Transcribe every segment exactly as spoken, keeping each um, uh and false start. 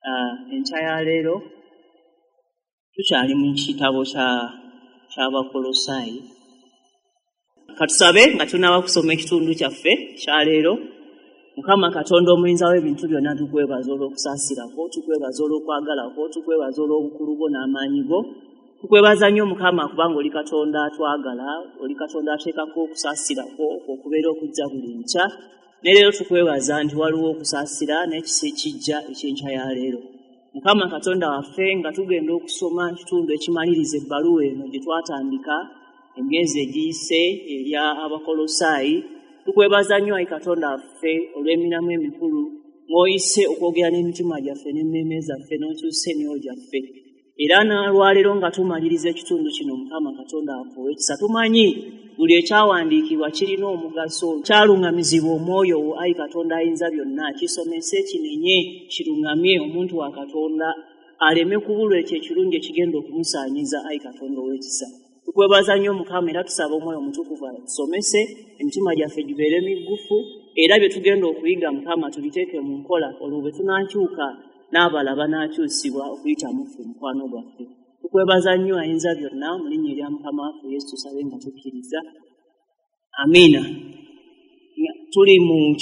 Enkya ya leero tukyali mu kitabo ky'Abakolosaayi. Katusabe nga tunaaba kusoma ekitundu kyaffe kya leero. Mukama Katonda omuyinza w'ebintu byonna, tukwebaza olw'okusaasirako, tukwebaza olw'okwagalako, tukwebaza olw'obukulu bwo n'amaanyi go. Tukwebaza nnyo Mukama kubanga oli Katonda atwagala, oli Katonda ateekako okusaasirako okubeera okujja buli nkya. Ne leero tukwebaza nti waliwo okusaasira n'ekisa ekijja eky'enkya ya leero. Mukama Katonda waffe, nga tugenda okusoma ekitundu ekimaliriza ebbaluwa eno gye twatandika emyezi egiyise erya Abakolosaayi, tukwebaza nnyo ayi Katonda waffe olw'emirimu emikulu ng'oyise okwogera n'emitima gyaffe n'emmeeme zaffe n'okyusa emyoyo gyaffe. Era n'olwaleero nga tumaliriza ekitundu kino, Mukama Katonda waffe ow'ekisa, tumanyi buli ekyawandiikibwa kirina omugaso, kyaluŋŋamizibwa omwoyo wo ayi Katonda ayinza byonna, kisomese, kinenye, kiruŋŋamye omuntu wa Katonda aleme kubulwa ekyo ekirungi ekigenda okumusaanyiza ayi Katonda ow'ekisa. Tukwebaza nnyo Mukama era tusaba Omwoyo Omutukuvu atusomese, emitima gyaffe gibeere miggufu, era bye tugenda okuyiga Mukama tubiteeke mu nkola, olwo bwe tunaakyuka n'abalala banaakyusibwa okuyita mu ffe mukwano gwaffe. Tukwebaza nnyo ayinza byonna, mu linnya erya Mukama waffe Yesu tusabe nga tukkiriza. Amiina. Tuli mu,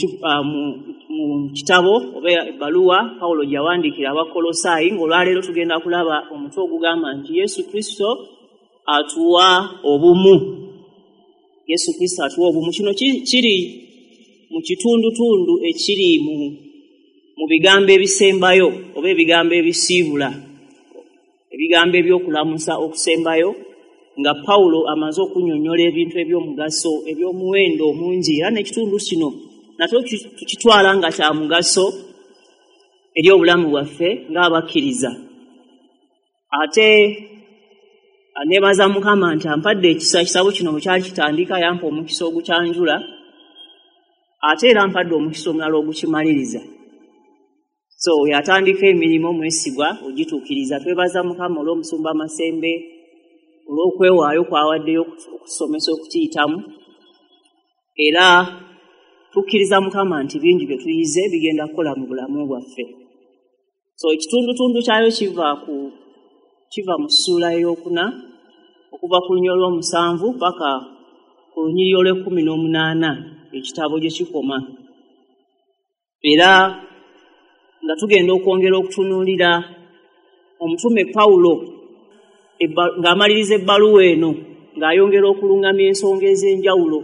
mu, mu kitabo oba ebbaluwa Pawulo gye yawandiikira Abakolosaayi, ng'olwaleero tugenda kulaba omutwe ogugamba nti Yesu Kristo atuwa obumu. Yesu Kristo atuwa obumu. Kino kiri mu kitundutundu ekiri mu mu bigambo ebisembayo oba ebigambo ebisiibula, ebigambo eby'okulamusa okusembayo, nga Pawulo amaze okunnyonnyola ebintu eby'omugaso eby'omuwendo omungi. Era n'ekitundu kino nakyo tukitwala nga kya mugaso eri obulamu bwaffe ng'abakkiriza. Ate neebaza Mukama nti ampadde ekisa, ekitabo kino bwe kyali kitandika yampa omukisa ogukyanjula, ate era ampadde omukisa omulala ogukimaliriza. So yatandika emirimu omwesigwa ogituukiriza. Twebaza Mukama olw'omusumba Masembe olw'okwewaayo kw'awaddeyo okusomesa okukiyitamu, era tukkiriza Mukama nti bingi bye tuyize bigenda kukola mu bulamu bwaffe. So ekitundutundu kyayo kiva ku kiva mu ssuula ey'okuna okuva ku lunyiriri olw'omusanvu paka ku lunyiriri olw'ekkumi n'omunaana ekitabo gye kikoma. Era nga tugenda okwongera okutunuulira omutume Pawulo ng'amaliriza ebbaluwa eno ng'ayongera okuluŋŋamya ensonga ez'enjawulo.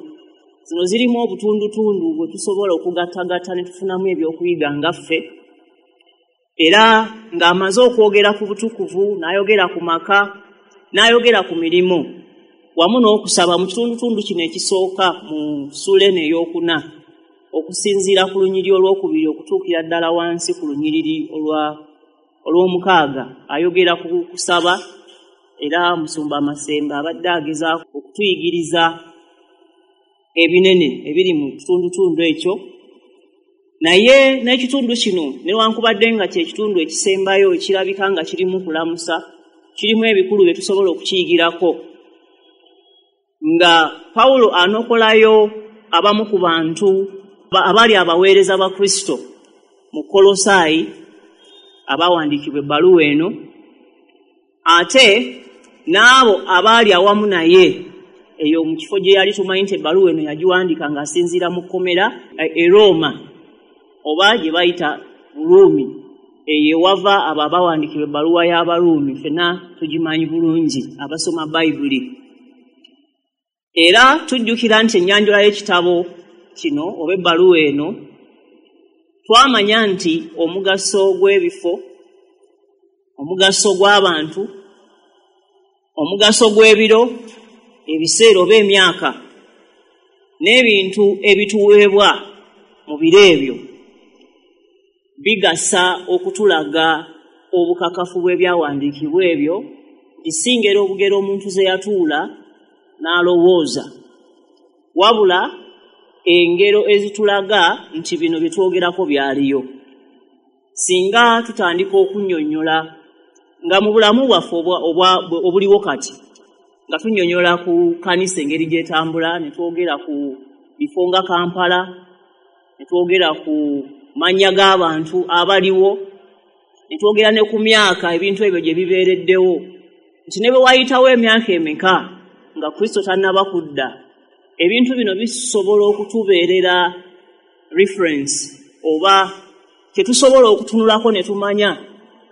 Zino zirimu obutundutundu bwe tusobola okugattagatta ne tufunamu ebyokuyiga nga ffe. Era ng'amaze okwogera ku butukuvu, n'ayogera ku maka, n'ayogera ku mirimu wamu n'okusaba mu kitundutundu kino ekisooka mu ssuula eno ey'okuna, okusinziira ku lunyiriri olwokubiri okutuukira ddala wansi ku lunyiriri olw'omukaaga, ayogera ku kusaba. Era musumba Masembe abadde agezaako okutuyigiriza ebinene ebiri mu kitundutundu ekyo. Naye n'ekitundu kino newankubadde nga kye kitundu ekisembayo ekirabika nga kirimu kulamusa, kirimu ebikulu bye tusobola okukiyigirako, nga Pawulo anokolayo abamu ku bantu abali abaweereza ba Kristo mu Kolosaayi abawandiikibwa ebbaluwa eno, ate n'abo abaali awamu naye eyo mu kifo gye yali. Tumanyi nti ebbaluwa eno yagiwandiika ng'asinziira mu kkomera e Rooma oba gye bayita Buruumi, eyo ewava abo abawandiikibwa ebbaluwa y'Abaruumi, ffenna tugimanyi bulungi abasoma Bayibuli. Era tujjukira nti ennyanjula y'ekitabo kino oba ebbaluwa eno twamanya nti omugaso gw'ebifo, omugaso gw'abantu, omugaso gw'ebiro, ebiseera oba emyaka, n'ebintu ebituweebwa mu biro ebyo bigasa okutulaga obukakafu bw'ebyawandiikibwa ebyo, kisingera obugero omuntu ze yatuula n'alowooza, wabula engero ezitulaga nti bino bye twogerako byaliyo. Singa tutandika okunnyonnyola nga mu bulamu bwaffe obuliwo kati, nga tunnyonnyola ku kkanisa engeri gy'etambula, ne twogera ku bifo nga Kampala, ne twogera ku mannya g'abantu abaliwo, Ne twogera ne ku myaka ebintu ebyo gye bibeereddewo, nti ne bwe wayitawo emyaka emeka nga Kristo tannaba kudda, ebintu bino bisobola okutubeerera reference oba kye tusobola okutunulako ne tumanya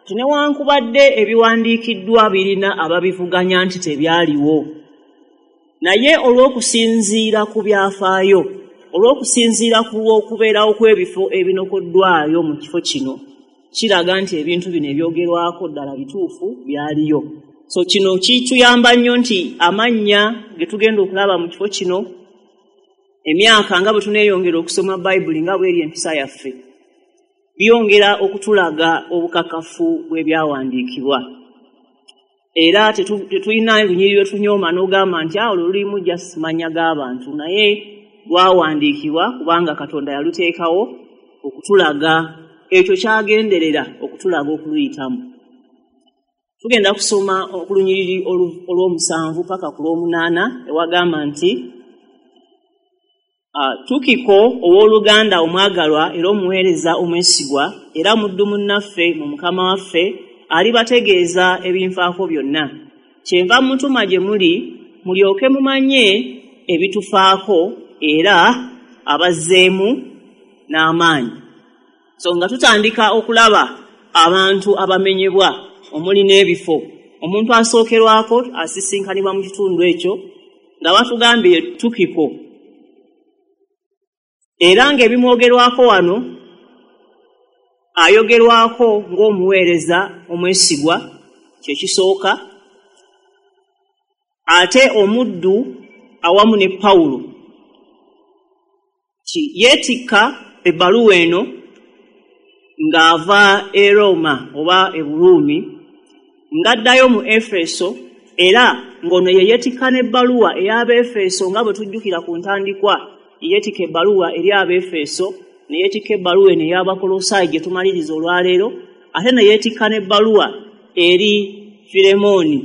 nti newankubadde ebiwandiikiddwa birina ababivuganya nti tebyaliwo, naye olw'okusinziira ku byafaayo, olw'okusinziira ku okubeerawo kw'ebifo ebinokoddwayo mu kifo kino, kiraga nti ebintu bino ebyogerwako ddala bituufu, byaliyo. So kino kituyamba nnyo nti amannya ge tugenda okulaba mu kifo kino, emyaka nga bwe tuneeyongera okusoma Bayibuli nga bweri empisa yaffe, byongera okutulaga obukakafu bw'ebyawandiikibwa. Era tetulina lunyiriri lwe tunyooma n'ogamba nti awo lulimu just mannya g'abantu, naye lwawandiikibwa kubanga Katonda yaluteekawo okutulaga ekyo kyagenderera okutulaga okuluyitamu. Tugenda kusoma okulunyiriri olw'omusanvu paka ku lw'omunaana, ewagamba nti Tukiko owooluganda omwagalwa era omuweereza omwesigwa era muddu munnaffe mu Mukama waffe alibategeeza ebinfaako byonna. Kyenva mutuma gye muli mulyoke mumanye ebitufaako era abazzeemu n'amaanyi. So nga tutandika okulaba abantu abamenyebwa omuli n'ebifo, omuntu asookerwako asisinkanibwa mu kitundu ekyo nga batugambye Tukiko, era ng'ebimwogerwako wano ayogerwako ng'omuweereza omwesigwa, kye kisooka, ate omuddu awamu ne Pawulo. Yeetikka ebbaluwa eno ng'ava e Roma oba e Buruumi ng'addayo mu Efeso, era ng'ono ye yeetikka n'ebbaluwa ey'Abeefeso nga bwe tujjukira ku ntandikwa. Yeetikka ebbaluwa eri Abeefeso, ne yeetikka ebbaluwa eno ey'Abakolosaayi gye tumaliriza olwaleero, ate ne yeetikka n'ebbaluwa eri Firemooni.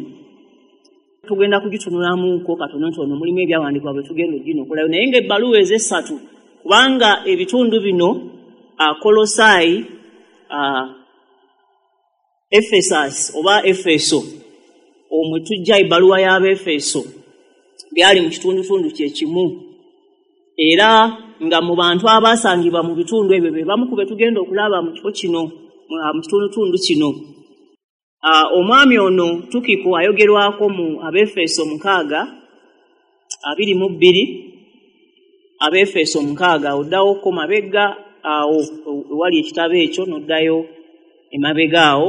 Tugenda kugitunulamuko katonotono, mulimu ebyawandiikibwa bwe tugenda oginokolayo, naye ng'ebbaluwa ez'essatu, kubanga ebitundu bino Kolosaayi, Efesasi oba Efeso omwe tujja ebbaluwa y'Abeefeso, byali mu kitundutundu kye kimu, era nga mu bantu abaasangibwa mu bitundu ebyo be bamu ku be tugenda okulaba mu kifo kino, mu kitundutundu kino. Omwami ono Tukiko ayogerwako mu Abeefeso mukaaga abiri mu bbiri, Abeefeso mukaaga, oddawoko mabega awo ewali ekitabo ekyo n'oddayo emabega awo.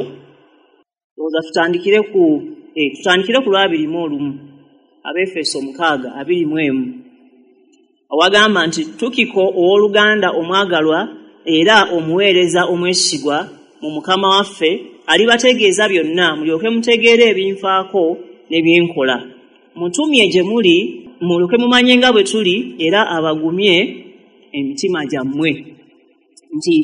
Ndowooza tutandikire ku eh, tutandikire ku lwabiri mu olumu, Abeefeso mukaaga abiri mu emu, awagamba nti Tukiko owooluganda omwagalwa era omuweereza omwesigwa mu Mukama waffe alibategeeza byonna, mulyoke mutegeere ebinfaako ne byenkola. Mutumye gye muli mulyoke mumanye nga bwe tuli era abagumye emitima gyammwe. Nti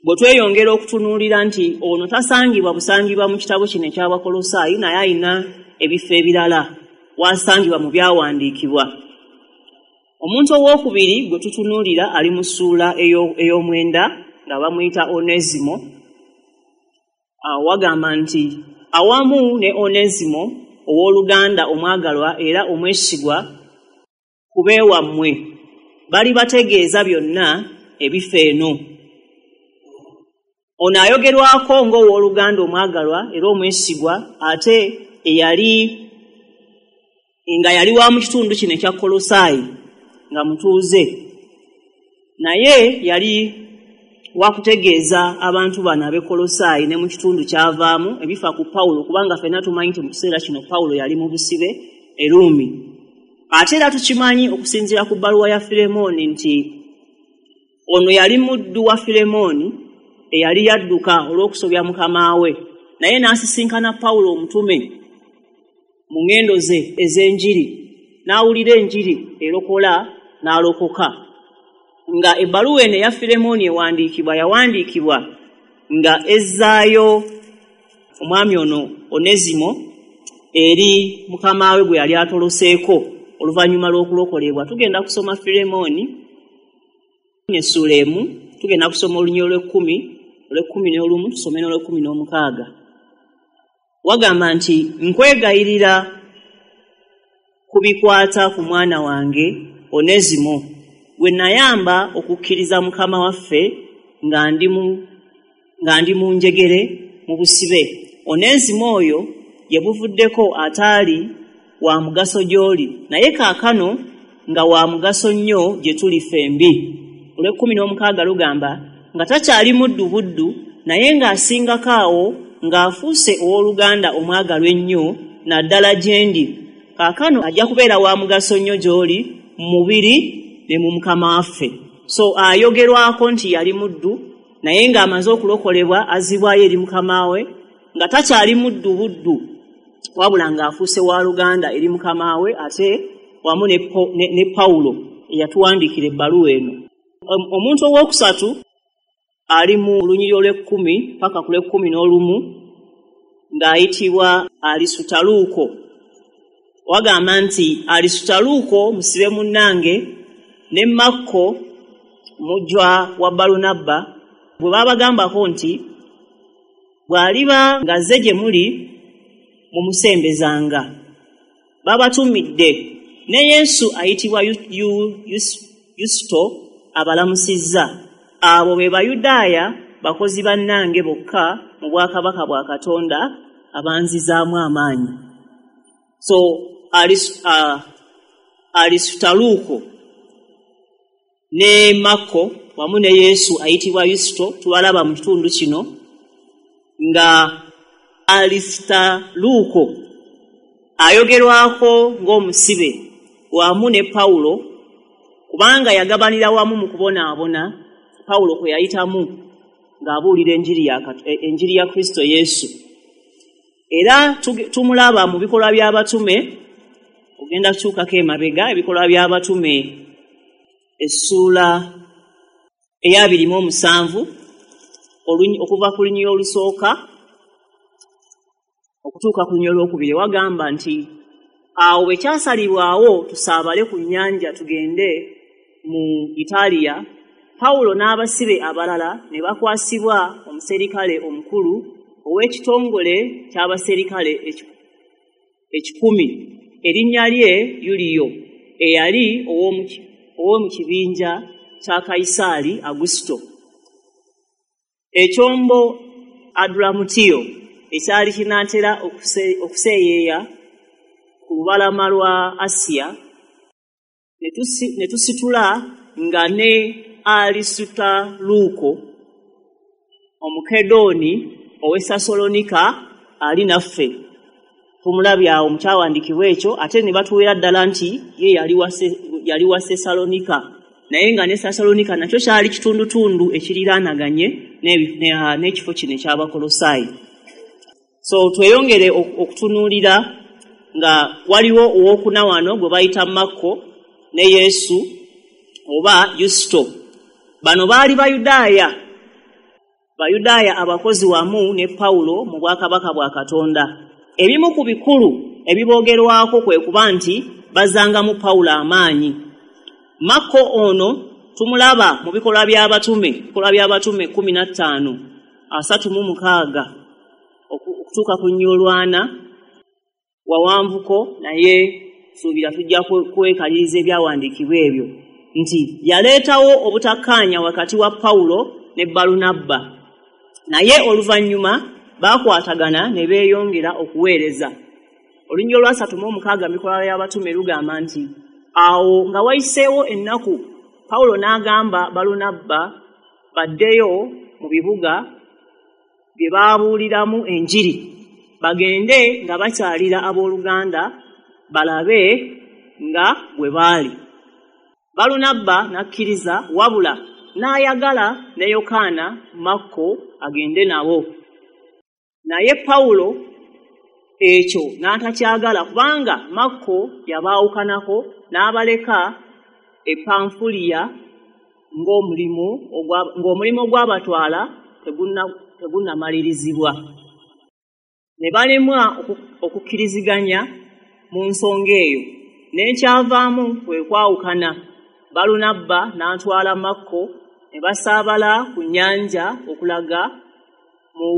bwe tweyongera okutunuulira nti ono tasangibwa busangibwa mu kitabo kino eky'Abakolosaayi, naye alina ebifo ebirala wasangibwa mu byawandiikibwa. Omuntu owookubiri gwe tutunuulira ali mu ssuula ey'omwenda nga bamuyita Onesimo. Wagamba nti awamu ne Onesimo owooluganda omwagalwa era omwesigwa ku beewammwe balibategeeza byonna ebifo eno. Ono ayogerwako ng'owooluganda omwagalwa era omwesigwa, ate eyali nga yali wa mu kitundu kino ekya Kolosaayi nga mutuuze, naye yali wakutegeeza abantu bano ab'e Kolosaayi ne mu kitundu kyavaamu ebifa ku Pawulo, kubanga ffenna tumanyi nti mu kiseera kino Pawulo yali mu busibe e Ruumi. Ate era tukimanyi okusinziira ku bbaluwa ya Firemooni nti ono yali muddu wa Firemooni eyali yadduka olw'okusobya mukama we, naye n'asisinkana Pawulo omutume mu ŋŋendo ze ez'enjiri, n'awulira enjiri erokola n'alokoka. Nga ebbaluwa eno eya Firemooni ewandiikibwa, yawandiikibwa nga ezzaayo omwami ono Onesimo eri mukama we gwe yali atoloseeko oluvannyuma lw'okulokolebwa. Tugenda kusoma Firemooni essuula emu, tugenda kusoma olunyiriri olw'ekkumi olw'ekkumi n'olumu tusome n'olw'ekkumi n'omukaaga. Wagamba nti nkwegayirira ku bikwata ku mwana wange Onesimo gwe nayamba okukkiriza Mukama waffe nga ndi mu nga ndi mu njegere mu busibe. Onesimo oyo ye buvuddeko ataali wa mugaso gy'oli, naye kaakano nga wa mugaso nnyo gye tuli ffembi. Olw'ekkumi n'omukaaga lugamba nga takyali muddu buddu, naye ng'asingako awo ng'afuuse owooluganda omwagalwa ennyo naddala gye ndi. Kaakano ajja kubeera wa mugaso nnyo gy'oli mu mubiri ne mu Mukama waffe. So ayogerwako nti yali muddu, naye ng'amaze okulokolebwa azzibwayo eri Mukama we, nga takyali muddu buddu, wabula ng'afuuse wa luganda eri Mukama we, ate wamu ne, ne, ne Pawulo eyatuwandiikira ebbaluwa eno. Omuntu owookusatu ali mu lunyiriri olw'ekkumi paka ku lw'ekkumi n'olumu ng'ayitibwa Alisutaluuko. Wagamba nti Alisutaluuko musibe munnange ne Makko mujjwa wa Balunabba bwe baabagambako nti bw'aliba ng'azze gye muli mumusembezanga. Babatumidde ne Yesu ayitibwa Yusito abalamusizza. Abo be Bayudaaya bakozi bannange bokka mu bwakabaka bwa Katonda abanzizaamu amaanyi. So uh, Alisutaluuko ne Makko wamu ne Yesu ayitibwa Yusito tubalaba mu kitundu kino nga Alisutaluuko ayogerwako ng'omusibe wamu ne Pawulo, kubanga yagabanira wamu mu kubonaabona Pawulo kwe yayitamu ng'abuulira enjiri ya enjiri ya Kristo Yesu. Era tumulaba mu bikolwa by'abatume, ogenda kukyukako emabega, ebikolwa by'abatume essuula ey'abiri mu omusanvu okuva ku lunyiriri olusooka okutuuka ku lunyiriri olwokubiri, wagamba nti awo bwe kyasalibwawo tusaabale ku nnyanja tugende mu Italiya, Pawulo n'abasibe abalala ne bakwasibwa omuserikale omukulu ow'ekitongole ky'abaserikale ekikumi, erinnya lye Yuliyo, eyali ow'omu kibinja kya Kayisaali Agusito. Ekyombo Adulamutiyo ekyali kinaatera okuseeyeeya ku lubalama lwa Asiya ne tusitula nga ne Alisutaluuko Omukedooni ow'e Sessaloniika ali naffe. Tumulabye awo mu kyawandiikibwa ekyo, ate ne batuweera ddala nti ye yali wa Sessaloniika, naye nga ne Sessaloniika nakyo kyali kitundutundu ekiriraanaganye n'ekifo kino eky'Abakolosaayi. So tweyongere okutunuulira nga waliwo owookuna wano gwe bayita Makko ne Yesu oba Yusito. Bano baali Bayudaaya, Bayudaaya abakozi wamu ne Pawulo mu bwakabaka bwa Katonda. Ebimu ku bikulu ebiboogerwako kwe kuba nti bazzangamu Pawulo amaanyi. Makko ono tumulaba mu bikolwa by'abatume, bikolwa by'abatume kkumi na ttaano asatu mu mukaaga okutuuka ku nnyolwana wawanvuko, naye suubira tujja kwekaliriza ebyawandiikibwa ebyo nti yaleetawo obutakkaanya wakati wa Pawulo ne Balunabba, naye oluvannyuma baakwatagana ne beeyongera okuweereza. Olunyiriri olwasatu mu omukaaga mu bikolwa by'abatume lugamba nti awo nga wayiseewo ennaku Pawulo n'agamba Balunabba baddeyo mu bibuga bye baabuuliramu enjiri, bagende nga bakyalira abooluganda balabe nga bwe baali. Balunabba n'akkiriza, wabula n'ayagala ne Yokaana Makko agende nabo. Naye Pawulo ekyo n'atakyagala, kubanga Makko yabaawukanako n'abaleka e Panfuliya ng'omulimu ng'omulimu ogwabatwala tegunnamalirizibwa. Ne balemwa okukkiriziganya mu nsonga eyo, n'ekyavaamu kwe kwawukana. Balunabba n'atwala Makko ne basaabala ku nnyanja okulaga mu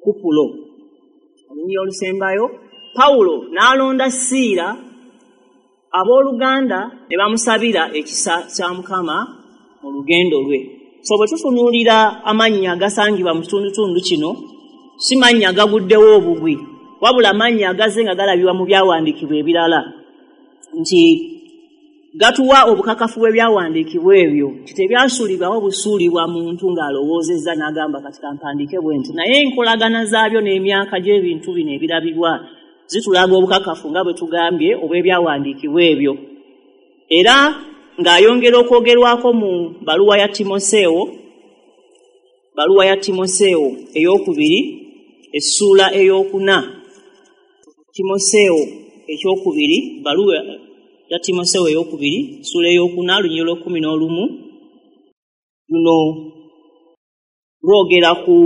Kupulo. Olunyiriri olusembayo, Pawulo n'alonda Siira, abooluganda ne bamusabira ekisa kya Mukama mu lugendo lwe. So bwe tutunuulira amannya agasangibwa mu kitundutundu kino, si mannya agaguddewo obugwi, wabula amannya agazze nga galabibwa mu byawandiikibwa ebirala, nti gatuwa obukakafu bw'ebyawandiikibwa ebyo, nti tebyasuulibwawo busuulibwa muntu ng'alowoozezza n'agamba kati kampandiike bwe nti, naye enkolagana zaabyo n'emyaka gy'ebintu bino ebirabibwa zitulaga obukakafu nga bwe tugambye obw'ebyawandiikibwa ebyo. Era ng'ayongera okwogerwako mu baluwa ya Timoseewo, baluwa ya Timoseewo ey'okubiri essuula ey'okuna. Timoseewo ekyokubiri, baluwa ya Timoseewo ey'okubiri essuula ey'okuna lunyiriri lw'ekkumi n'olumu, luno lwogera ku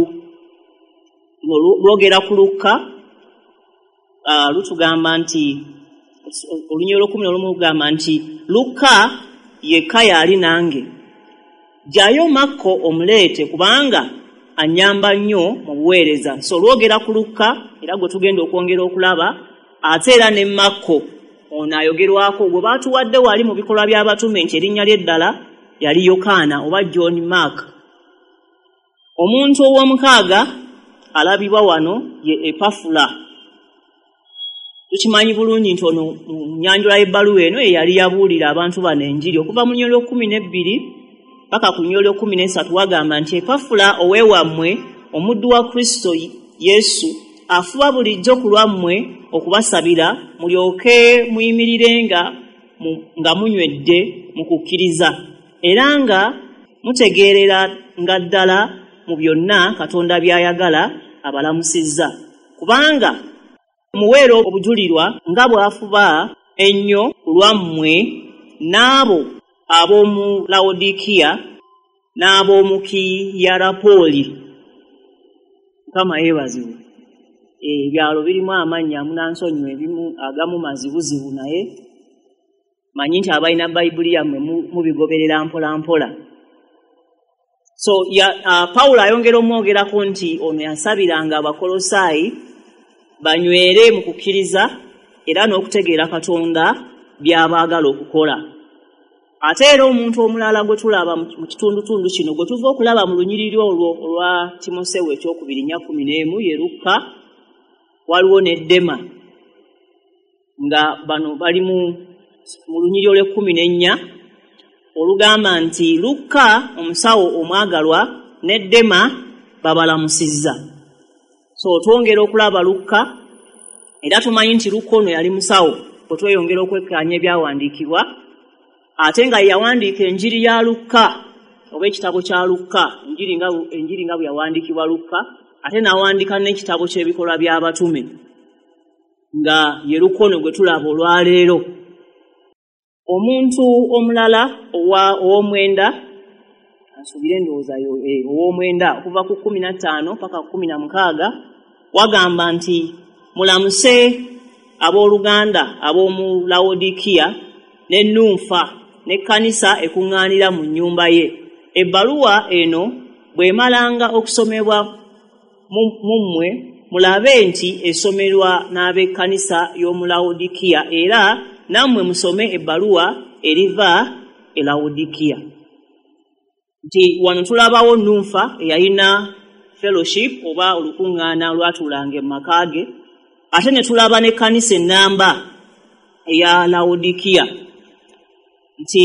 lwogera ku Lukka. Uh, lutugamba nti olunyiriri lw'ekkumi n'olumu lugamba nti Lukka yekka yali nange, jjayo Makko omuleete kubanga annyamba nnyo mu buweereza. So lwogera ku Lukka era gwe tugenda okwongera okulaba, ate era ne Makko ono ayogerwako gwe baatuwadde wali mu bikolwa by'abatume nti erinnya lye ddala yali Yokaana oba John Mark. Omuntu ow'omukaaga alabibwa wano ye Epafula. Tukimanyi bulungi nti ono mu nnyanjula y'ebbaluwa eno ye yali yabuulira abantu bano enjiri okuva mu lunyiriri lw'ekkumi n'ebbiri paka ku lunyiriri lw'ekkumi n'essatu. Wagamba nti Epafula oweewammwe omuddu wa Kristo Yesu afuba bulijjo ku lwammwe okubasabira mulyoke muyimirirenga nga munywedde mu kukkiriza, era nga mutegeerera nga ddala mu byonna Katonda by'ayagala abalamusizza, kubanga muweera obujulirwa nga bw'afuba ennyo ku lwammwe n'abo ab'omu Lawodikiya n'ab'omu Kiyerapooli. Mukama yeebazibwe. Ebyalo birimu amannya munansonyiwa, ebimu agamu mazibuzibu, naye manyi nti abalina Bayibuli yammwe mubigoberera mpola mpola. So ya, uh, Pawulo ayongera omwogerako nti ono yasabiranga Abakolosaayi banywere mu kukkiriza era n'okutegeera Katonda by'abaagala okukola. Ate era omuntu omulala gwe tulaba mu kitundutundu kino gwe tuva okulaba mu lunyiriri olwo olwa Timoseewo ekyokubiri nnya kkumi n'emu ye Lukka, waliwo ne Dema, nga bano bali mu lunyiriri olw'ekkumi n'ennya olugamba nti Lukka omusawo omwagalwa ne Dema babalamusizza. So twongera okulaba Lukka, era tumanyi nti Lukka ono yali musawo bwe tweyongera okwekkaanya ebyawandiikibwa, ate nga yawandiika enjiri ya Lukka oba ekitabo kya Lukka, enjiri nga enjiri nga bwe yawandiikibwa Lukka, ate n'awandiika n'ekitabo ky'ebikolwa by'abatume nga ye Lukka ono gwe tulaba olwaleero. Omuntu omulala ow'omwenda, nsuubire ndowooza ow'omwenda okuva ku kkumi na ttaano paka ku kkumi na mukaaga, wagamba nti mulamuse abooluganda ab'omu Lawodikiya ne Nunfa n'ekkanisa ekuŋŋaanira mu nnyumba ye. Ebbaluwa eno bw'emalanga okusomebwa mu mmwe, mulabe nti esomerwa n'ab'ekkanisa y'omu Lawodikiya, era nammwe musome ebbaluwa eriva e Lawodikiya. Nti wano tulabawo Nunfa eyalina fellowship oba olukuŋŋaana olwatuulanga mu maka ge, ate ne tulaba n'ekkanisa ennamba eya Lawodikiya, nti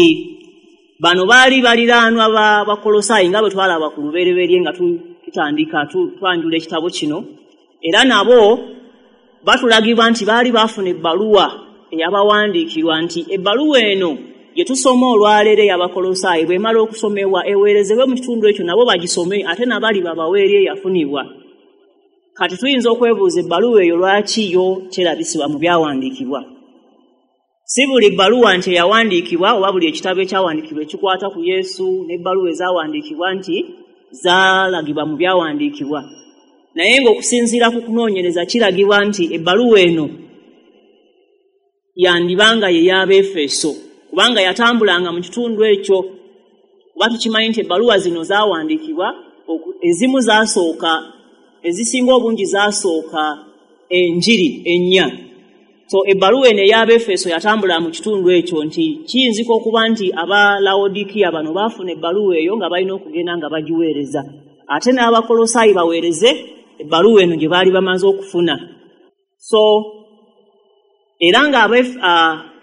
bano baali baliraanwa ba Bakolosaayi nga bwe twalaba ku lubereberye nga tutandika twanjula ekitabo kino, era nabo batulagibwa nti baali baafuna ebbaluwa eyabawandiikirwa nti ebbaluwa eno gye tusoma olwaleero ey'Abakolosaayi bw'emala okusomebwa eweerezebwe mu kitundu ekyo nabo bagisome, ate nabali babaweeri eyafunibwa. Kati tuyinza okwebuuza ebbaluwa eyo lwaki yo terabisibwa mu byawandiikibwa. Si buli bbaluwa nti eyawandiikibwa oba buli ekitabo ekyawandiikibwa ekikwata ku Yesu n'ebbaluwa ezaawandiikibwa nti zaalagibwa mu byawandiikibwa, naye ng'okusinziira ku kunoonyereza kiragibwa nti ebbaluwa eno yandibanga ye y'Abeefeso, kubanga yatambulanga mu kitundu ekyo, Kuba tukimanyi nti ebbaluwa zino zaawandiikibwa, ezimu zaasooka, ezisinga obungi zaasooka enjiri ennya. So ebbaluwa eno ey'Abaefeso yatambula mu kitundu ekyo, nti kiyinzika okuba nti aba Lawodikiya bano baafuna ebbaluwa eyo nga balina okugenda nga bagiweereza, ate n'Abakolosaayi baweereze ebbaluwa eno gye baali bamaze okufuna. So era nga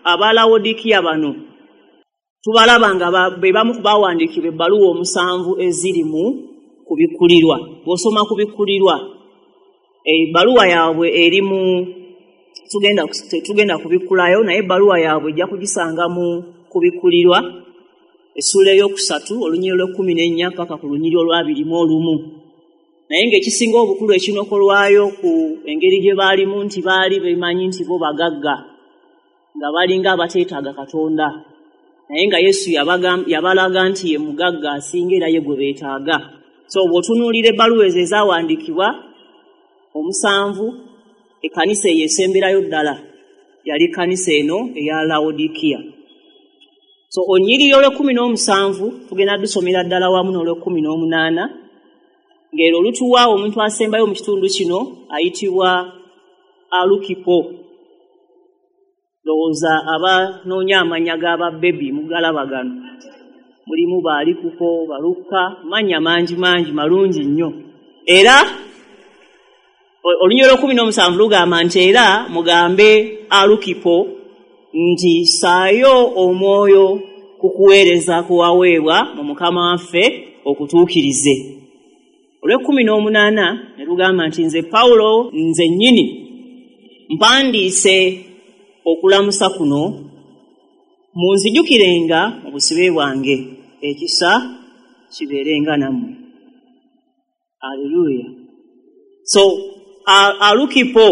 aba Lawodikiya bano tubalaba nga be bamu ku bawandiikibwa ebbaluwa omusanvu eziri mu kubikkulirwa. Bw'osoma kubikkulirwa, ebbaluwa yaabwe eri mu tugenda tetugenda kubikkulayo, naye ebbaluwa yaabwe ejja kugisanga mu kubikkulirwa essuula ey'okusatu olunyiriri lw'ekkumi n'ennya paka ku lunyiriri olw'abiri mu olumu. Naye ng'ekisinga obukulu ekinokolwayo ku engeri gye baalimu nti baali bemanyi nti bo bagagga, nga balinga abateetaaga Katonda, naye nga Yesu yabalaga nti ye mugagga asinga era ye gwe beetaaga. So bw'otunuulira ebbaluwa ezo ezaawandiikibwa omusanvu, ekkanisa eyo esemberayo ddala yali kkanisa eno eya Lawodikiya. So olunyiriri olw'ekkumi n'omusanvu tugenda dusomera ddala wamu n'olw'ekkumi n'omunaana, ng'ero olutuwa omuntu asembayo mu kitundu kino ayitibwa Alukipo. Ndowooza abanoonya amannya g'ababebi mugalaba gano, mulimu Baalikuko, Balukka, mannya mangi mangi malungi nnyo. Era olunyiriri olw'ekkumi n'omusanvu lugamba nti era mugambe Alukipo nti ssaayo omwoyo ku kuweereza kuwaweebwa mu Mukama waffe okutuukirize. Olw'ekkumi n'omunaana ne lugamba nti nze Pawulo nze nnyini mpandiise okulamusa kuno, munzijukirenga mu busibe bwange, ekisa kibeerenga nammwe. Aleluya. So Alukipo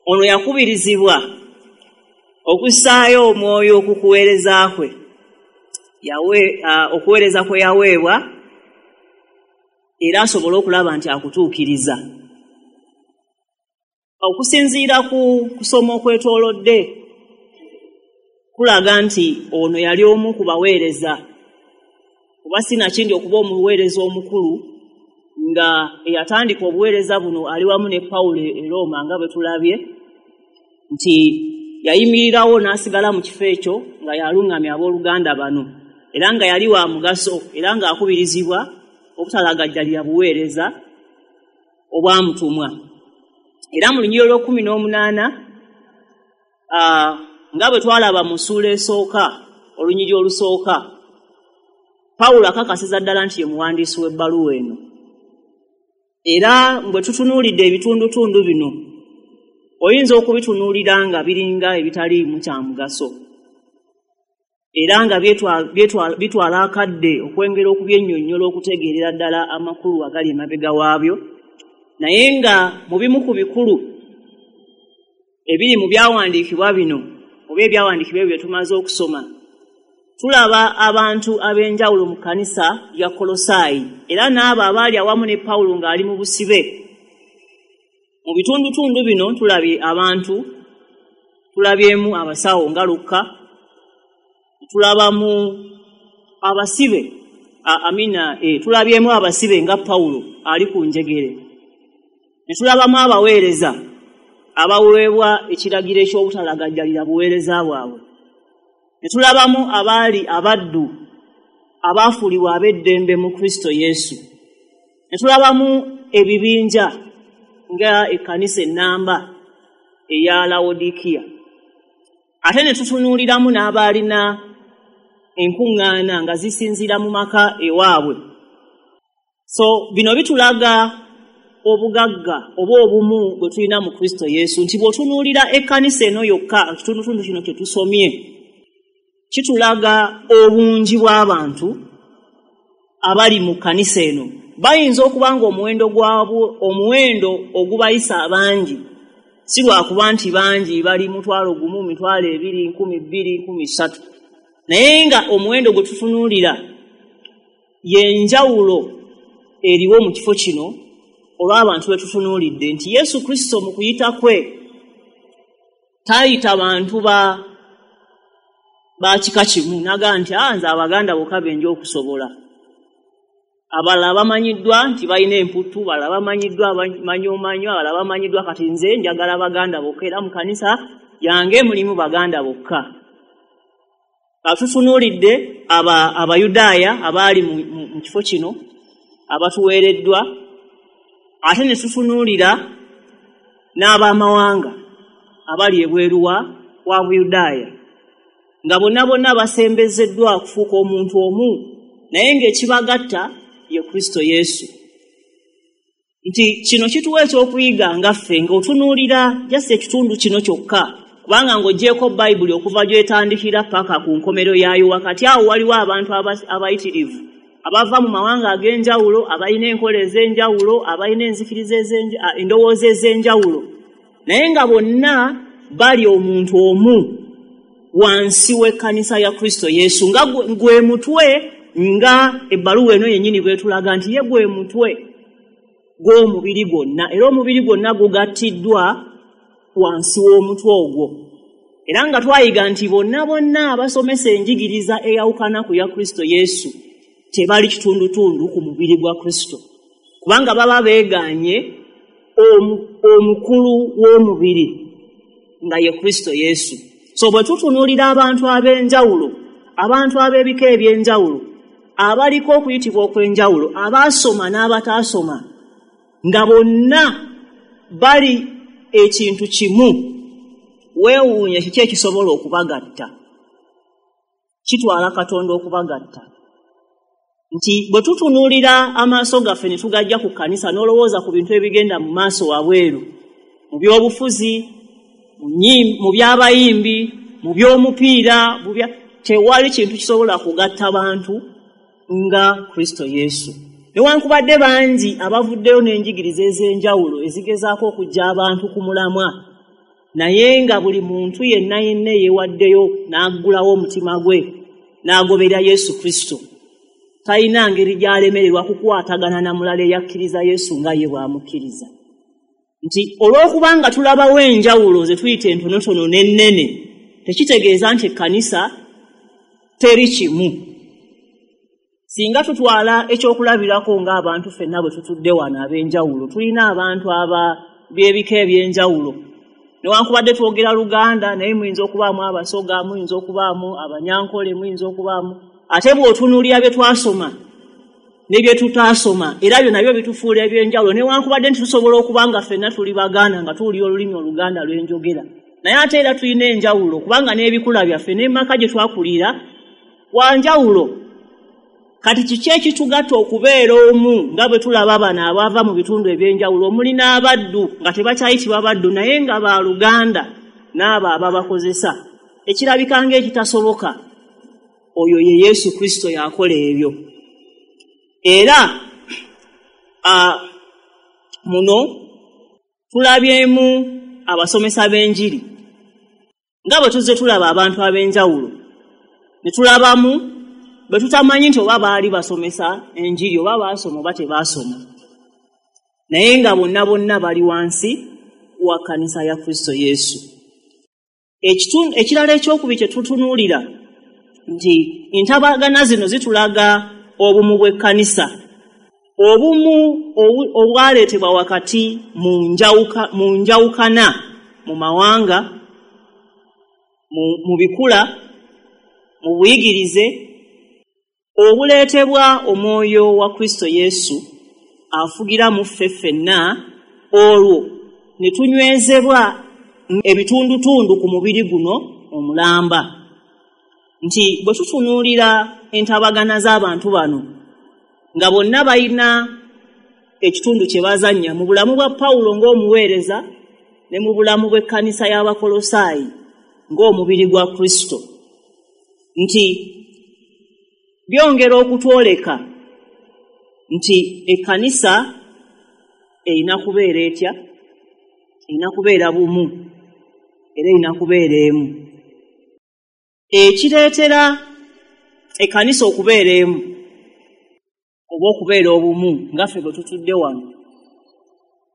ono yakubirizibwa okussaayo omwoyo ku kuweereza kwe, yawe okuweereza kwe yaweebwa, era asobole okulaba nti akutuukiriza. Okusinziira ku kusoma okwetoolodde kulaga nti ono yali omu ku baweereza, kuba sinakindi okuba omuweereza omukulu nga eyatandika obuweereza buno ali wamu ne Pawulo e Rooma, nga bwe tulabye nti yayimirirawo n'asigala mu kifo ekyo nga yaluŋŋamya abooluganda bano, era nga yali wa mugaso, era ng'akubirizibwa obutalagajjalira buweereza obwamutumwa. Era mu lunyiriri olw'ekkumi n'omunaana nga bwe twalaba mu ssuula esooka, olunyiriri olusooka, Pawulo akakasiza ddala nti ye muwandiisi w'ebbaluwa eno. Era bwe tutunuulidde ebitundutundu bino, oyinza okubitunuulira nga biringa ebitaliimu kya mugaso, era nga bitwala akadde okwengera okubyennyonnyola okutegeerera ddala amakulu agali emabega waabyo. Naye nga mu bimu ku bikulu ebiri mu byawandiikibwa bino oba ebyawandiikibwa ebyo bye tumaze okusoma, tulaba abantu ab'enjawulo mu kkanisa ya Kolosaayi, era n'abo abaali awamu ne Pawulo ng'ali mu busibe. Mu bitundutundu bino tulabye abantu, tulabyemu abasawo nga Lukka, tulabamu abasibe, amina, eh, tulabyemu abasibe nga Pawulo ali ku njegere, ne tulabamu abaweereza abaweebwa ekiragiro eky'obutalagajjalira buweereza bwabwe, ne tulabamu abaali abaddu abaafuulibwa ab'eddembe mu Kristo Yesu, ne tulabamu ebibinja nga ekkanisa ennamba eya Lawodikiya, ate ne tutunuuliramu n'abaalina enkuŋŋaana nga zisinziira mu maka ewaabwe. So bino bitulaga obugagga oba obumu bwe tulina mu Kristo Yesu, nti bw'otunuulira ekkanisa eno yokka, ekitundutundu kino kye tusomye, kitulaga obungi bw'abantu abali mu kkanisa eno. Bayinza okuba nga omuwendo gwabwo, omuwendo ogubayisa abangi, si lwakuba nti bangi bali mutwalo gumu, mitwalo ebiri, nkumi bbiri, nkumi ssatu, naye nga omuwendo gwe tutunuulira y'enjawulo eriwo mu kifo kino olw'abantu be tutunuulidde, nti Yesu Kristo mu kuyita kwe tayita bantu ba ba kika kimu, n'agamba nti ah, nze Abaganda bokka be nja okusobola. Abalala bamanyiddwa nti balina emputtu, abalala bamanyiddwa abamanyomanyo, abalala bamanyiddwa, kati nze njagala Baganda bokka, era mu kanisa yange mulimu Baganda bokka. Tutunuulidde aba Abayudaaya abaali mu, mu, mu kifo kino abatuweereddwa, ate ne tutunuulira n'abamawanga abali ebweru wa, wa Buyudaaya, nga bonna bonna basembezeddwa okufuuka omuntu omu, naye ng'ekibagatta ye Kristo Yesu. Nti kino kituwa ekyokuyiga nga ffe ng'otunuulira just ekitundu kino kyokka, kubanga ng'oggyeeko Bayibuli okuva gy'etandikira paka ku nkomero yaayo, wakati awo waliwo abantu abayitirivu abava mu mawanga ag'enjawulo, abalina enkola ez'enjawulo, abalina enzikiriza ez'enjawulo, endowooza ez'enjawulo, naye nga bonna bali omuntu omu wansi w'ekkanisa ya Kristo Yesu, nga gwe mutwe, nga ebbaluwa eno yennyini bw'etulaga nti ye gwe mutwe gw'omubiri gwonna, era omubiri gwonna gugattiddwa wansi w'omutwe ogwo. Era nga twayiga nti bonna bonna abasomesa enjigiriza eyawukana ku ya Kristo Yesu tebali kitundutundu ku mubiri gwa Kristo, kubanga baba beegaanye omukulu w'omubiri nga ye Kristo Yesu. So bwe tutunuulira abantu ab'enjawulo, abantu ab'ebika eby'enjawulo, abaliko okuyitibwa okw'enjawulo, abaasoma n'abataasoma, nga bonna bali ekintu kimu, weewuunye kiki ekisobola okubagatta. Kitwala Katonda okubagatta. Nti bwe tutunuulira amaaso gaffe ne tugajja ku kkanisa n'olowooza ku bintu ebigenda mu maaso wabweru, mu by'obufuzi, mu by'abayimbi, mu by'omupiira, tewali kintu kisobola kugatta bantu nga Kristo Yesu. Newankubadde bangi abavuddeyo n'enjigiriza ez'enjawulo ezigezaako okuggya abantu ku mulamwa, naye nga buli muntu yenna yenna yeewaddeyo n'aggulawo omutima gwe n'agoberera Yesu Kristo, talina ngeri gy'alemererwa kukwatagana na mulala eyakkiriza Yesu nga ye bw'amukkiriza. Nti olw'okubanga tulabawo enjawulo ze tuyita entonotono n'ennene, tekitegeeza nti ekkanisa teri kimu. Singa tutwala ekyokulabirako ng'abantu ffenna bwe tutudde wano ab'enjawulo, tulina abantu aba by'ebika eby'enjawulo. Newankubadde twogera Luganda, naye muyinza okubaamu Abasoga, muyinza okubaamu Abanyankole, muyinza okubaamu, ate bw'otunuulira bye twasoma ne bye tutaasoma, era byo nabyo bitufuula eby'enjawulo. Newankubadde nti tusobola okuba nga ffenna tuli Baganda nga tuwulira olulimi Oluganda lw'enjogera, naye ate era tulina enjawulo, kubanga n'ebikula byaffe n'emaka gye twakulira wanjawulo. Kati kiki ekitugatta okubeera omu nga bwe tulaba bano abava mu bitundu eby'enjawulo, omuli n'abaddu nga tebakyayitibwa baddu naye nga baluganda n'abo ababakozesa, ekirabika ng'ekitasoboka, oyo ye Yesu Kristo yakola ebyo. Era a, muno tulabyemu abasomesa b'enjiri nga bwe tuzze tulaba abantu ab'enjawulo, ne tulabamu bwe tutamanyi nti oba baali basomesa enjiri oba baasoma oba tebaasoma, naye nga bonna bonna bali wansi wa kkanisa ya Kristo Yesu. Ekitundu ekirala ekyokubiri kye tutunuulira nti entabagana zino zitulaga obumu bw'ekkanisa, obumu obwaleetebwa wakati mu njawuka, mu njawukana mu mawanga, mu, mu bikula, mu buyigirize, obuleetebwa omwoyo wa Kristo Yesu afugira mu ffe ffenna, olwo ne tunywezebwa ebitundutundu ku mubiri guno omulamba. Nti bwe tutunuulira entabagana z'abantu bano nga bonna balina ekitundu kye bazannya mu bulamu bwa Pawulo ng'omuweereza ne mu bulamu bw'ekkanisa y'Abakolosaayi ng'omubiri gwa Kristo, nti byongera okutwoleka nti ekkanisa erina kubeera etya, erina kubeera bumu, era erina kubeera emu. Ekireetera ekkanisa okubeera emu oba okubeera obumu nga ffe bwe tutudde wano,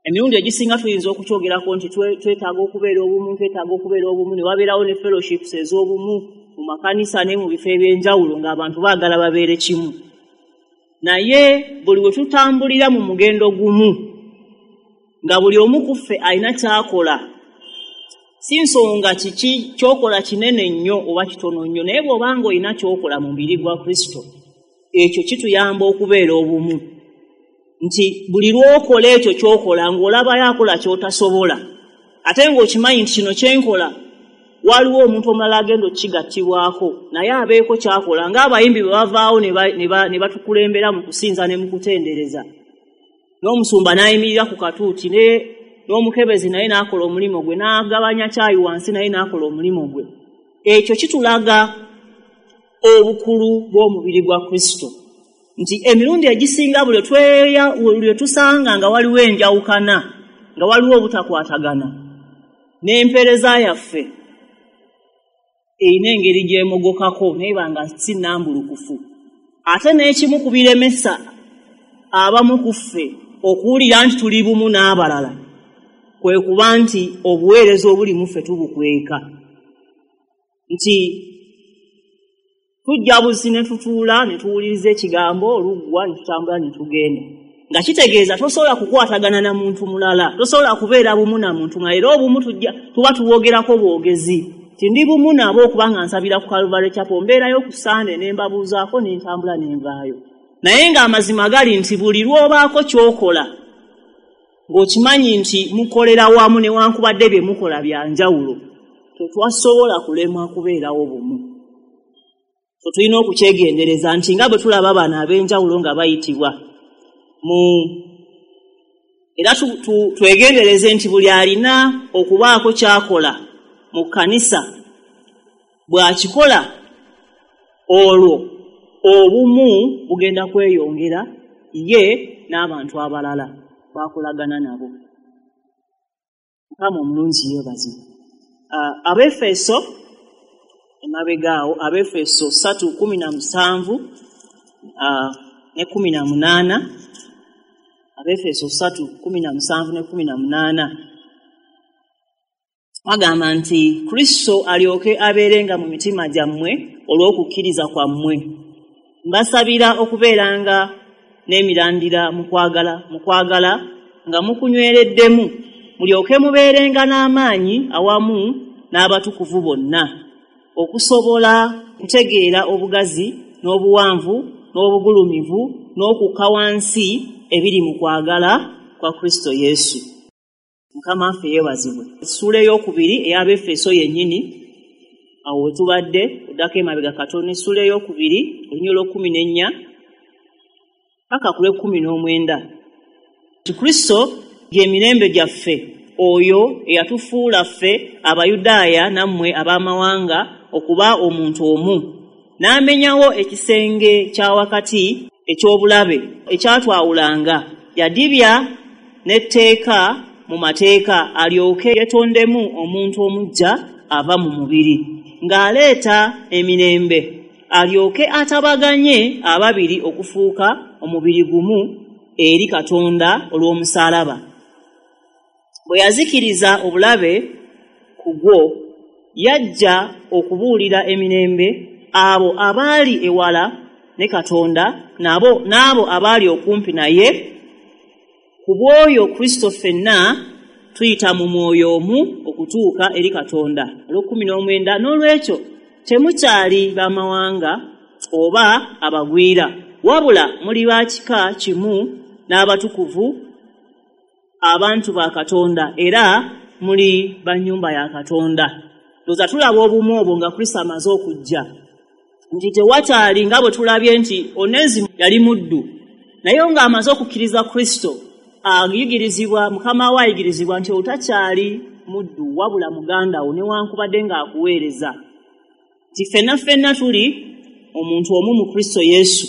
emirundi egisinga tuyinza okukyogerako nti twetaaga okubeera obumu, twetaaga okubeera obumu, ne wabeerawo ne fellowships ez'obumu mu makanisa ne mu bifo eby'enjawulo ng'abantu baagala babeere kimu. Naye buli we tutambulira mu mugendo gumu nga buli omu ku ffe alina ky'akola, si nsonga kiki ky'okola kinene nnyo oba kitono nnyo, naye bw'obanga olina ky'okola mu mubiri gwa Kristo, ekyo kituyamba okubeera obumu. Nti buli lw'okola ekyo ky'okola ng'olabayo akola ky'otasobola, ate ng'okimanyi nti kino kye nkola waliwo omuntu omulala agenda okukigattibwako naye abeeko ky'akola, ng'abayimbi bwe bavaawo ne batukulembera mu kusinza ne mu kutendereza, n'omusumba n'ayimirira ku katuuti n'omukebezi naye n'akola omulimu gwe, n'agabanya kyayi wansi naye n'akola omulimu gwe. Ekyo kitulaga obukulu bw'omubiri gwa Kristo, nti emirundi egisinga buli lwe tusanga nga waliwo enjawukana, nga waliwo obutakwatagana, n'empeereza yaffe erina engeri gy'emogokako naye banga si nnambulukufu. Ate n'ekimu ku biremesa abamu ku ffe okuwulira nti tuli bumu n'abalala kwe kuba nti obuweereza obuli mu ffe tubukweka, nti tujja buzi ne tutuula ne tuwuliriza ekigambo oluggwa ne tutambula ne tugenda, nga kitegeeza tosobola kukwatagana na muntu mulala, tosobola kubeera bumu na muntu mulala. Era obumu tujja tuba tubwogerako bwogezi, nti ndi bumu nabo okubanga nsabira ku Calvary Chapel, mbeerayo ku Sande ne mbabuuzaako ne ntambula ne nvaayo. Naye ng'amazima gali nti buli lw'obaako ky'okola ng'okimanyi nti mukolera wamu newankubadde bye mukola bya njawulo, tetwasobola kulemwa kubeerawo bumu. So tulina okukyegendereza nti nga bwe tulaba bano ab'enjawulo nga bayitibwa mu, era twegendereze nti buli alina okubaako ky'akola mu kkanisa bw'akikola olwo obumu bugenda kweyongera ye n'abantu abalala bakolagana nabo. Mukama omulungi yeebazibwe. Abefeso emabega awo, Abefeso ssatu kumi na musanvu ne kumi na munaana, Abefeso ssatu kumi na musanvu ne kumi na munaana agamba nti Kristo alyoke abeerenga mu mitima gyammwe olw'okukkiriza kwammwe. Mbasabira okubeeranga n'emirandira mu kwagala mu kwagala nga mukunywereddemu, mulyoke mubeerenga n'amaanyi awamu n'abatukuvu bonna, okusobola kutegeera obugazi n'obuwanvu n'obugulumivu n'okukka wansi ebiri mu kwagala kwa Kristo Yesu. Mukama waffe yeebazibwe. Essuula ey'okubiri ey'Abefeso yennyini awo we tubadde oddako emabega katono, essuula ey'okubiri olunyiriri olw'ekkumi n'ennya paka ku lw'ekkumi n'omwenda. Kristo gy'emirembe gyaffe, oyo eyatufuula ffe Abayudaaya nammwe ab'amawanga okuba omuntu omu, n'amenyawo ekisenge kya wakati eky'obulabe ekyatwawulanga, yadibya n'etteeka mu mateeka alyoke yetondemu omuntu omuggya ava mu mubiri, ng'aleeta emirembe, alyoke atabaganye ababiri okufuuka omubiri gumu eri Katonda olw'omusaalaba. Bwe yazikiriza obulabe ku gwo, yajja okubuulira emirembe abo abaali ewala ne Katonda nabo n'abo abaali okumpi naye. Ku bw'oyo Kristo ffenna tuyita mu mwoyo omu okutuuka eri Katonda. Olw'ekkumi n'omwenda, n'olwekyo temukyali b'amawanga oba abagwira, wabula muli ba kika kimu n'abatukuvu, abantu ba Katonda, era muli ba nnyumba ya Katonda. Ndowooza tulaba obumu obwo nga Kristo amaze okujja, nti tewakyali nga bwe tulabye nti Onezimu yali muddu, naye ng'amaze okukkiriza Kristo ayigirizibwa, Mukama we ayigirizibwa nti otakyali muddu wabula muganda wo newankubadde ng'akuweereza. Nti ffenna ffenna tuli omuntu omu mu Kristo Yesu.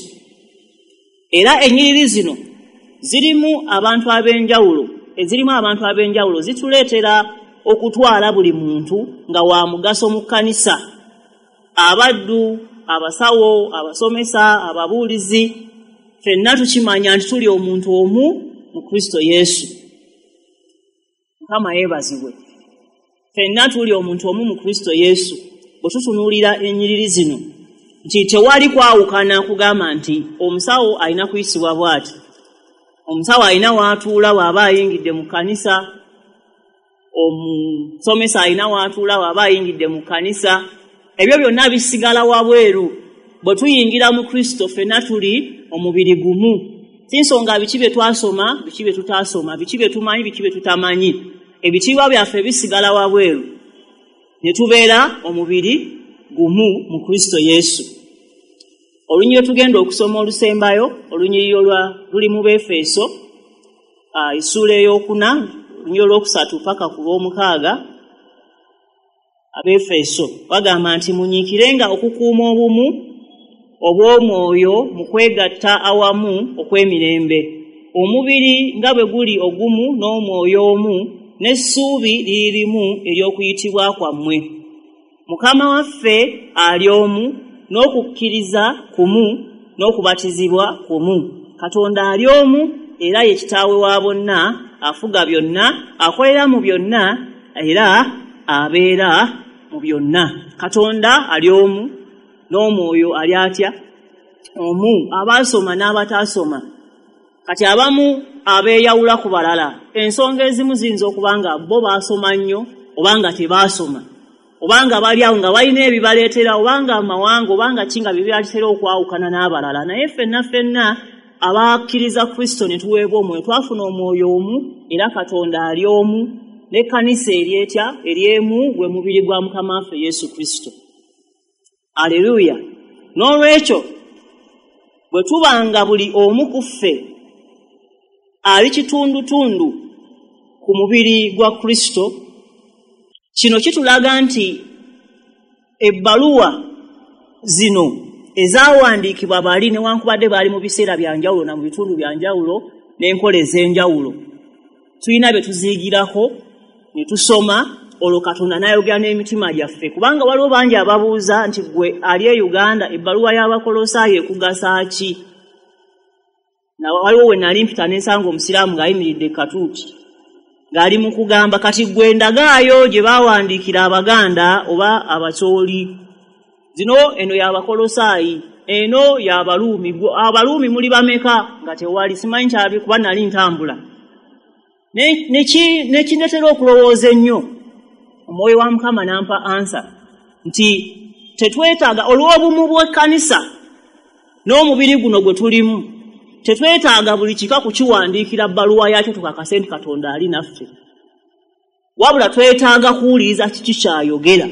Era ennyiriri zino zirimu abantu ab'enjawulo, ezirimu abantu ab'enjawulo zituleetera okutwala buli muntu nga wa mugaso mu kkanisa. Abaddu, abasawo, abasomesa, ababuulizi, ffenna tukimanya nti tuli omuntu omu mu Kristo Yesu. Mukama yeebazibwe. Ffenna tuli omuntu omu mu Kristo Yesu. Bwe tutunuulira ennyiriri zino nti tewali kwawukana kugamba nti omusawo alina kuyisibwa bw'ati, omusawo alina w'atuula bw'aba ayingidde mu kkanisa, omusomesa alina w'atuula bw'aba ayingidde mu kkanisa. Ebyo byonna bisigala wabweru. Bwe tuyingira mu Kristo ffenna tuli omubiri gumu. Si nsonga biki bye twasoma, biki bye tutaasoma, biki bye tumanyi, biki bye tutamanyi, ebitiibwa byaffe bisigala wabweru ne tubeera omubiri gumu mu Kristo Yesu. Olunyiriri tugenda okusoma olusembayo, olunyiriri olwa luli mu Befeso, essuula ey'okuna, olunyiriri olwokusatu paka ku lw'omukaaga. Abefeso bagamba nti munyiikirenga okukuuma obumu obw'omwoyo mu kwegatta awamu okw'emirembe, omubiri nga bwe guli ogumu n'omwoyo omu, n'essuubi liri limu ery'okuyitibwa kwammwe. Mukama waffe ali omu, n'okukkiriza kumu, n'okubatizibwa kumu. Katonda ali omu, era ye kitaawe wa bonna, afuga byonna, akolera mu byonna, era abeera mu byonna. Katonda ali omu, n'omwoyo ali atya? Omu. Abaasoma n'abataasoma. Kati abamu abeeyawula ku balala, ensonga ezimu ziyinza okuba nga bo baasoma nnyo oba nga tebaasoma, oba nga bali awo nga balina ebibaleetera, oba nga amawanga, oba nga ki nga bibaleetera okwawukana n'abalala. Naye ffenna ffenna abakkiriza Kristo ne tuweebwa omwoyo, twafuna omwoyo omu, era Katonda ali omu, n'ekkanisa eri etya? Eri emu, gwe mubiri gwa Mukama waffe Yesu Kristo. Aleluya. N'olwekyo bwe tubanga buli omu ku ffe ali kitundutundu ku mubiri gwa Kristo, kino kitulaga nti ebbaluwa zino ezaawandiikibwa bali newankubadde baali mu biseera bya njawulo na mu bitundu bya njawulo n'enkola ez'enjawulo, tulina bye tuziyigirako ne tusoma, olwo Katonda n'ayogera n'emitima gyaffe. Kubanga waliwo bangi ababuuza nti gwe ali e Uganda ebbaluwa y'Abakolosaayo ekugasa ki? Na waliwo we nali mpita ne nsanga omusiraamu ng'ayimiridde katuuti ng'ali mu kugamba kati gwe ndagaayo gye baawandiikira Abaganda oba Abacooli, zino eno y'Abakolosaayi, eno y'Abaluumi. Abaluumi muli bameka? Nga tewali, simanyi kyali kuba nali ntambula. Nekindeetera okulowooza ennyo, omwoyo wa Mukama n'ampa ansa nti tetwetaaga, olw'obumu bw'ekkanisa n'omubiri guno gwe tulimu, tetwetaaga buli kika kukiwandiikira bbaluwa yakyo tukakase nti Katonda ali naffe. Wabula twetaaga kuwuliriza kiki kyayogera,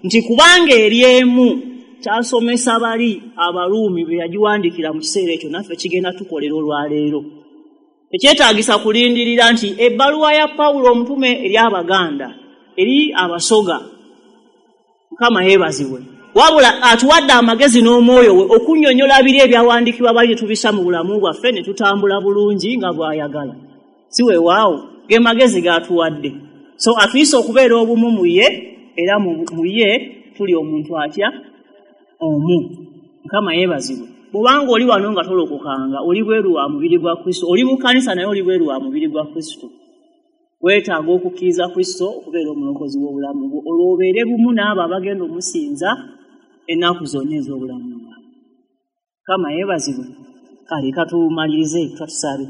nti kubanga eri emu kyasomesa bali Abaruumi be yagiwandiikira mu kiseera ekyo, naffe kigenda tukolera olwaleero. Tekyetaagisa kulindirira nti ebbaluwa ya Pawulo omutume eri Abaganda, eri Abasoga. Mukama yeebazibwe. Wabula atuwadde amagezi n'omwoyo we okunnyonnyola biri ebyawandiikibwa bali ne tubissa mu bulamu bwaffe ne tutambula bulungi nga bw'ayagala. Si weewaawo, ge magezi g'atuwadde. So atuyise okubeera obumu mu ye, era mu ye tuli omuntu atya? Omu. Mukama yeebazibwe. Bw'obanga oli wano nga tolokokanga, oli bweru wa mubiri gwa Kristo, oli mu kkanisa naye oli bweru wa mubiri gwa Kristo. Weetaaga okukkiriza Kristo okubeera omulokozi w'obulamu bwo, olwo obeere bumu n'abo abagenda omusinza ennaku zonna ez'obulamu bwabwe. Mukama yeebazibwe. Kale katumalirize katusabe.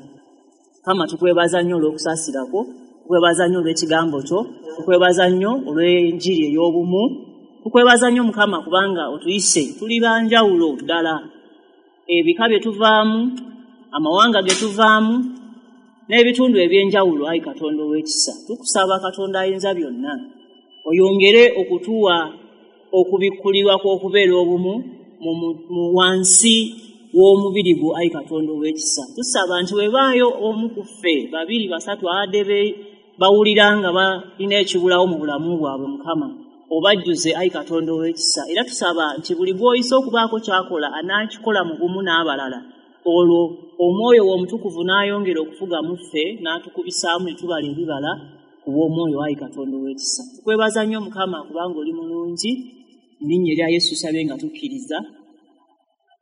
Mukama tukwebaza nnyo olw'okusaasira kwo, tukwebaza nnyo olw'ekigambo kyo, tukwebaza nnyo olw'enjiri ey'obumu, tukwebaza nnyo Mukama kubanga otuyise tuli ba njawulo ddala. Ebika bye tuvaamu, amawanga ge tuvaamu, n'ebitundu eby'enjawulo, ayi Katonda ow'ekisa. Tukusaba Katonda ayinza byonna oyongere okutuwa okubikkulirwa kw'okubeera obumu mu wansi w'omubiri gwo, ayi Katonda ow'ekisa. Tusaba nti webaayo omu ku ffe, babiri, basatu, abadde bawulira nga balina ekibulawo mu bulamu bwabwe, Mukama obajjuze, ayi Katonda ow'ekisa. Era tusaba nti buli gw'oyise okubaako ky'akola anaakikola mu bumu n'abalala, olwo omwoyo w'omutukuvu n'ayongera okufuga mu ffe n'atukubisaamu ne tubala ebibala ku bw'omwoyo, ayi Katonda ow'ekisa. Tukwebaza nnyo Mukama kubanga oli mulungi. Mu linnya erya Yesu tusabye nga tukkiriza.